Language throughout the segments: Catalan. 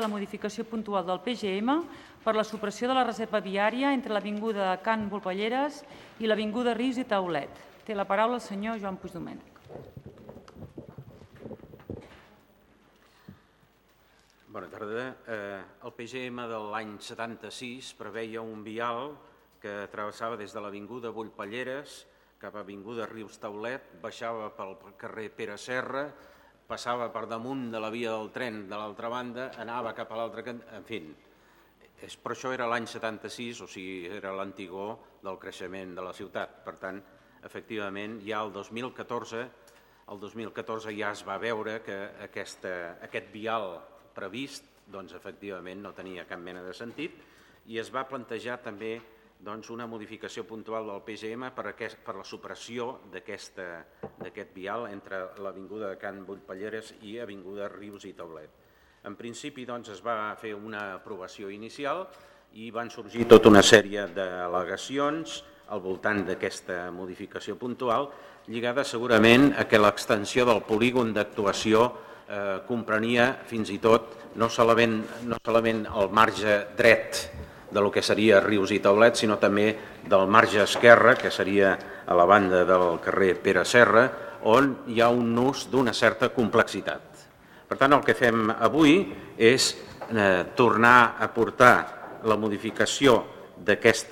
la modificació puntual del PGM per la supressió de la reserva viària entre l'avinguda Can Volpelleres i l'avinguda Rius i Taulet. Té la paraula el senyor Joan Puigdomènech. Bona tarda. El PGM de l'any 76 preveia un vial que travessava des de l'avinguda Volpelleres cap a l'avinguda Rius Taulet, baixava pel carrer Pere Serra, passava per damunt de la via del tren de l'altra banda, anava cap a l'altre cant, en fi. Però això era l'any 76, o sigui, era l'antigor del creixement de la ciutat. Per tant, efectivament, ja el 2014 ja es va veure que aquest vial previst, doncs, efectivament, no tenia cap mena de sentit i es va plantejar també una modificació puntual del PGM per la supressió d'aquest vial entre l'avinguda de Can Volpelleres i avinguda Rius i Taulet. En principi es va fer una aprovació inicial i van sorgir tota una sèrie d'al·legacions al voltant d'aquesta modificació puntual lligada segurament a que l'extensió del polígon d'actuació comprenia fins i tot no solament el marge dret del que seria Rius i Taulet, sinó també del marge esquerre, que seria a la banda del carrer Pere Serra, on hi ha un nus d'una certa complexitat. Per tant, el que fem avui és tornar a portar la modificació d'aquest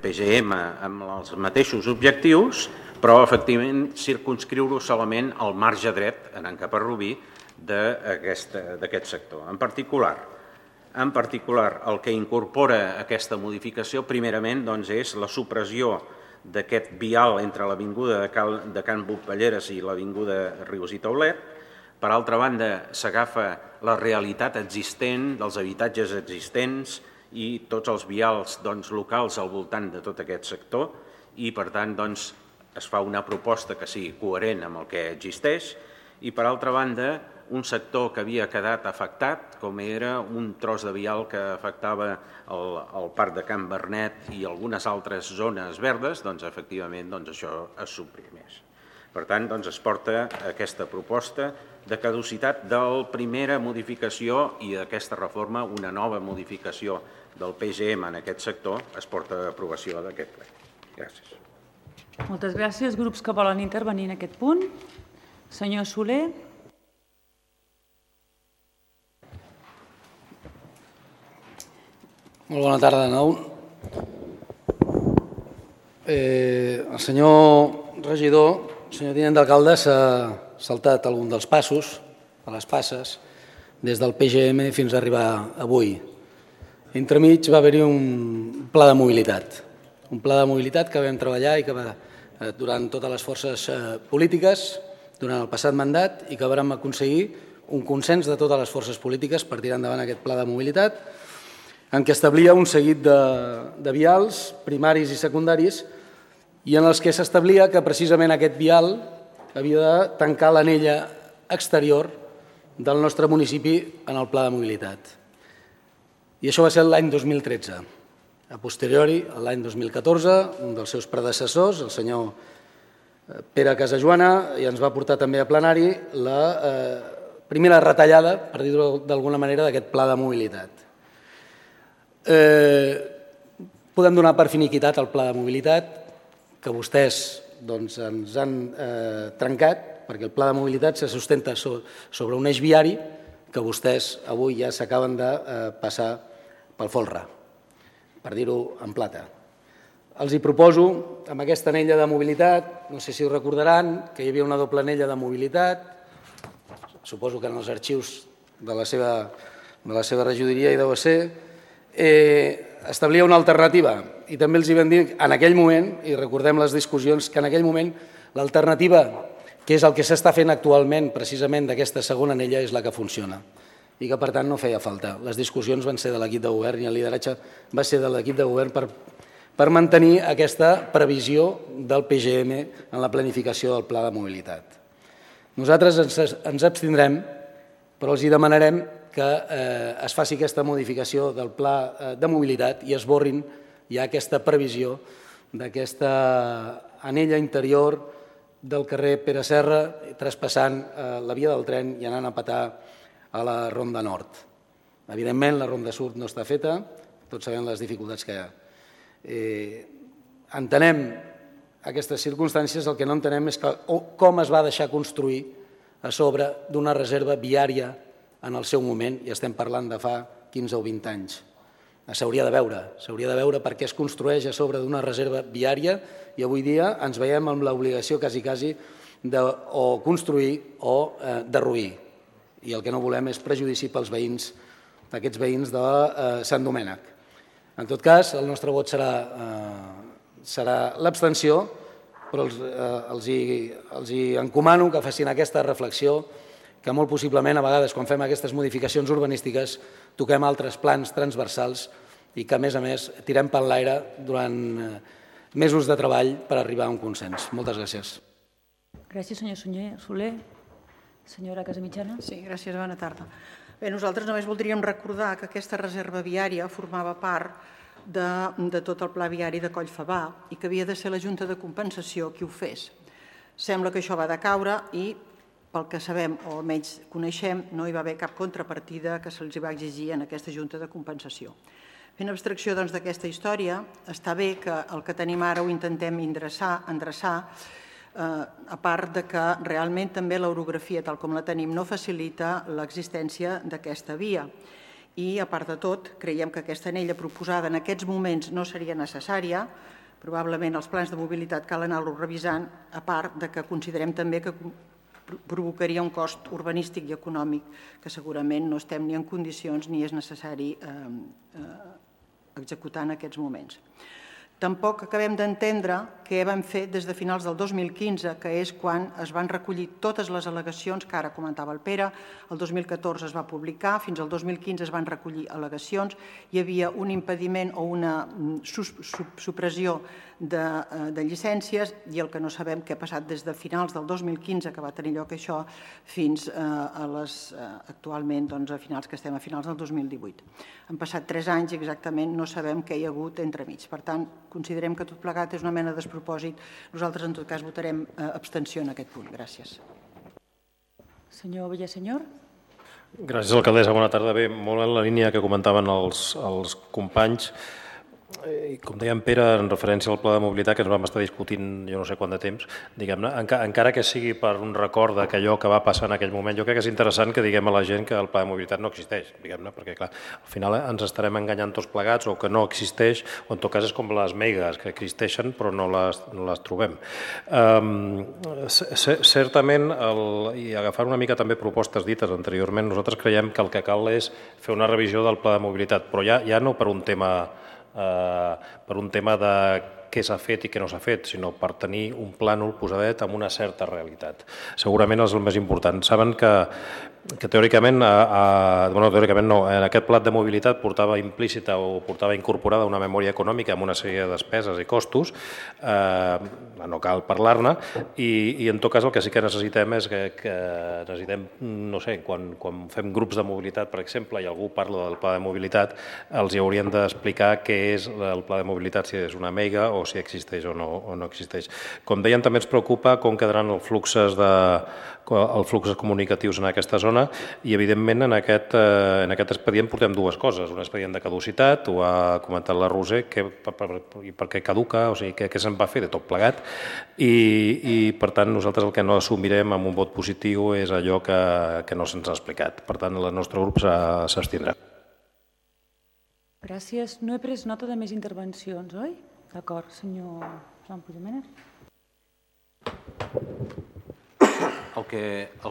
PGM amb els mateixos objectius, però efectivament circumscriure-ho solament al marge dret, anant cap a Rubí, d'aquest sector. En particular, el que incorpora aquesta modificació, primerament, és la supressió d'aquest vial entre l'avinguda de Can Volpelleres i l'avinguda Rius i Taulet. Per altra banda, s'agafa la realitat existent dels habitatges existents i tots els vials locals al voltant de tot aquest sector i, per tant, es fa una proposta que sigui coherent amb el que existeix i, per altra banda, un sector que havia quedat afectat, com era un tros de vial que afectava el Parc de Can Vernet i algunes altres zones verdes, efectivament això es suprimeix. Per tant, es porta aquesta proposta de caducitat de la primera modificació i d'aquesta reforma, una nova modificació del PGM en aquest sector, es porta a aprovació d'aquest ple. Gràcies. Moltes gràcies. Grups que volen intervenir en aquest punt. Senyor Soler. Molt bona tarda de nou. El senyor regidor, el senyor tinent d'alcalde, s'ha saltat algun dels passos, a les passes, des del PGM fins a arribar avui. Entremig va haver-hi un pla de mobilitat. Un pla de mobilitat que vam treballar i que durant totes les forces polítiques, durant el passat mandat, i que vam aconseguir un consens de totes les forces polítiques per tirar endavant aquest pla de mobilitat, en què establia un seguit de vials primaris i secundaris i en els que s'establia que precisament aquest vial havia de tancar l'anella exterior del nostre municipi en el pla de mobilitat. I això va ser l'any 2013. A posteriori, l'any 2014, un dels seus predecessors, el senyor Pere Casajoana, ja ens va portar també a plenari la primera retallada, per dir-ho d'alguna manera, d'aquest pla de mobilitat. Podem donar per finiquitat el pla de mobilitat que vostès ens han trencat, perquè el pla de mobilitat se sustenta sobre un eix viari que vostès avui ja s'acaben de passar pel folre, per dir-ho en plata. Els hi proposo, amb aquesta anella de mobilitat, no sé si ho recordaran, que hi havia una doble anella de mobilitat, suposo que en els arxius de la seva regidoria hi deu ser, establia una alternativa i també els hi vam dir en aquell moment, i recordem les discussions, que en aquell moment l'alternativa, que és el que s'està fent actualment precisament d'aquesta segona anella, és la que funciona i que per tant no feia falta. Les discussions van ser de l'equip de govern i el lideratge va ser de l'equip de govern per mantenir aquesta previsió del PGM en la planificació del pla de mobilitat. Nosaltres ens abstindrem, però els hi demanarem que es faci aquesta modificació del pla de mobilitat i esborrin ja aquesta previsió d'aquesta anella interior del carrer Pere Serra, traspassant la via del tren i anant a petar a la Ronda Nord. Evidentment, la ronda sud no està feta, tots sabem les dificultats que hi ha. Entenem aquestes circumstàncies, el que no entenem és com es va deixar construir a sobre d'una reserva viària en el seu moment, i estem parlant de fa 15 o 20 anys. S'hauria de veure per què es construeix a sobre d'una reserva viària i avui dia ens veiem amb l'obligació quasi de o construir o derruir. I el que no volem és prejudici pels veïns, aquests veïns de Sant Domènec. En tot cas, el nostre vot serà l'abstenció, però els encomano que facin aquesta reflexió, que molt possiblement a vegades quan fem aquestes modificacions urbanístiques toquem altres plans transversals i que a més tirem per l'aire durant mesos de treball per arribar a un consens. Moltes gràcies. Gràcies, senyor Soler. Senyora Casamitjana. Sí, gràcies, bona tarda. Bé, nosaltres només voldríem recordar que aquesta reserva viària formava part de tot el pla viari de Collfabà i que havia de ser la Junta de Compensació qui ho fes. Sembla que això va decaure i, pel que sabem o almenys coneixem, no hi va haver cap contrapartida que se'ls va exigir en aquesta Junta de Compensació. Fent abstracció d'aquesta història, està bé que el que tenim ara ho intentem endreçar, a part de que realment també l'orografia, tal com la tenim, no facilita l'existència d'aquesta via. I, a part de tot, creiem que aquesta anella proposada en aquests moments no seria necessària. Probablement els plans de mobilitat cal anar-los revisant, a part de que considerem també que provocaria un cost urbanístic i econòmic que segurament no estem ni en condicions ni és necessari executar en aquests moments. Tampoc acabem d'entendre què vam fer des de finals del 2015, que és quan es van recollir totes les al·legacions que ara comentava el Pere. El 2014 es va publicar, fins al 2015 es van recollir al·legacions, hi havia un impediment o una supressió de llicències i el que no sabem què ha passat des de finals del 2015, que va tenir lloc això, fins actualment, a finals que estem a finals del 2018. Han passat 3 anys i exactament no sabem què hi ha hagut entremig. Per tant, considerem que tot plegat és una mena de despropòsit. Nosaltres, en tot cas, votarem abstenció en aquest punt. Gràcies. Senyor Villasenyor. Gràcies, alcaldessa. Bona tarda. Bé, molt en la línia que comentaven els companys. Com deia en Pere, en referència al pla de mobilitat, que ens vam estar discutint jo no sé quant de temps, diguem-ne, encara que sigui per un record d'allò que va passar en aquell moment, jo crec que és interessant que diguem a la gent que el pla de mobilitat no existeix, diguem-ne, perquè clar, al final ens estarem enganyant tots plegats o que no existeix, o en tot cas és com les megas, que existeixen però no les trobem. Certament, i agafant una mica també propostes dites anteriorment, nosaltres creiem que el que cal és fer una revisió del pla de mobilitat, però ja no per un tema de què s'ha fet i què no s'ha fet, sinó per tenir un plànol posadet amb una certa realitat. Segurament és el més important. Saben que teòricament, teòricament no, en aquest pla de mobilitat portava implícita o portava incorporada una memòria econòmica amb una sèrie de despeses i costos, no cal parlar-ne, i en tot cas el que sí que necessitem és que necessitem, no sé, quan fem grups de mobilitat, per exemple, i algú parla del pla de mobilitat, els hi haurien d'explicar què és el pla de mobilitat, si és una mega o si existeix o no existeix. Com deien, també ens preocupa com quedaran els fluxos comunicatius en aquesta zona i, evidentment, en aquest expedient portem dues coses. Un expedient de caducitat, ho ha comentat la Roser, per què caduca, o sigui, què se'n va fer de tot plegat i, per tant, nosaltres el que no assumirem amb un vot positiu és allò que no se'ns ha explicat. Per tant, el nostre grup s'abstindrà. Gràcies. No he pres nota de més intervencions, oi? D'acord, senyor Joan Puigdomènech. El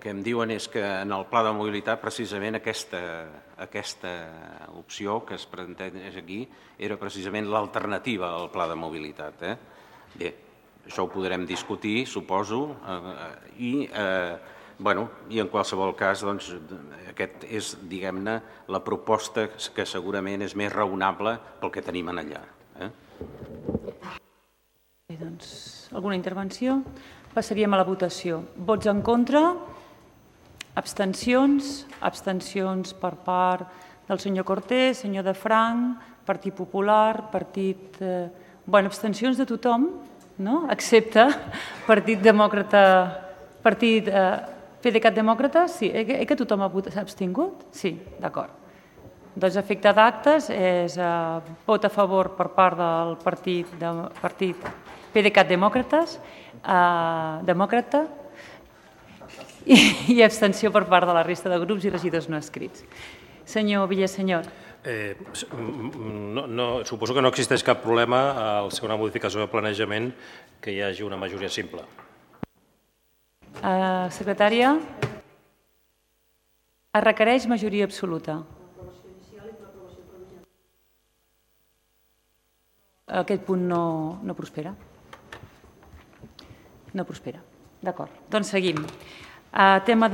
que em diuen és que en el pla de mobilitat precisament aquesta opció que es planteja aquí era precisament l'alternativa al pla de mobilitat. Bé, això ho podrem discutir, suposo, i en qualsevol cas aquest és, diguem-ne, la proposta que segurament és més raonable pel que tenim allà. Bé, doncs, alguna intervenció? Passaríem a la votació. Vots en contra? Abstencions? Abstencions per part del senyor Cortés, senyor de Franc, Partit Popular, Partit... abstencions de tothom, no? Excepte Partit Demòcrata... PDeCAT Demòcrata? Sí. Que tothom s'ha abstingut? Sí, d'acord. Doncs efecte d'actes és vot a favor per part del partit PDeCAT demòcrata i abstenció per part de la resta de grups i regidors no escrits. Senyor Villasenyor. Suposo que no existeix cap problema al ser una modificació de planejament que hi hagi una majoria simple. Secretària. Es requereix majoria absoluta. Aquest punt no prospera. No prospera. D'acord. Doncs seguim. Tema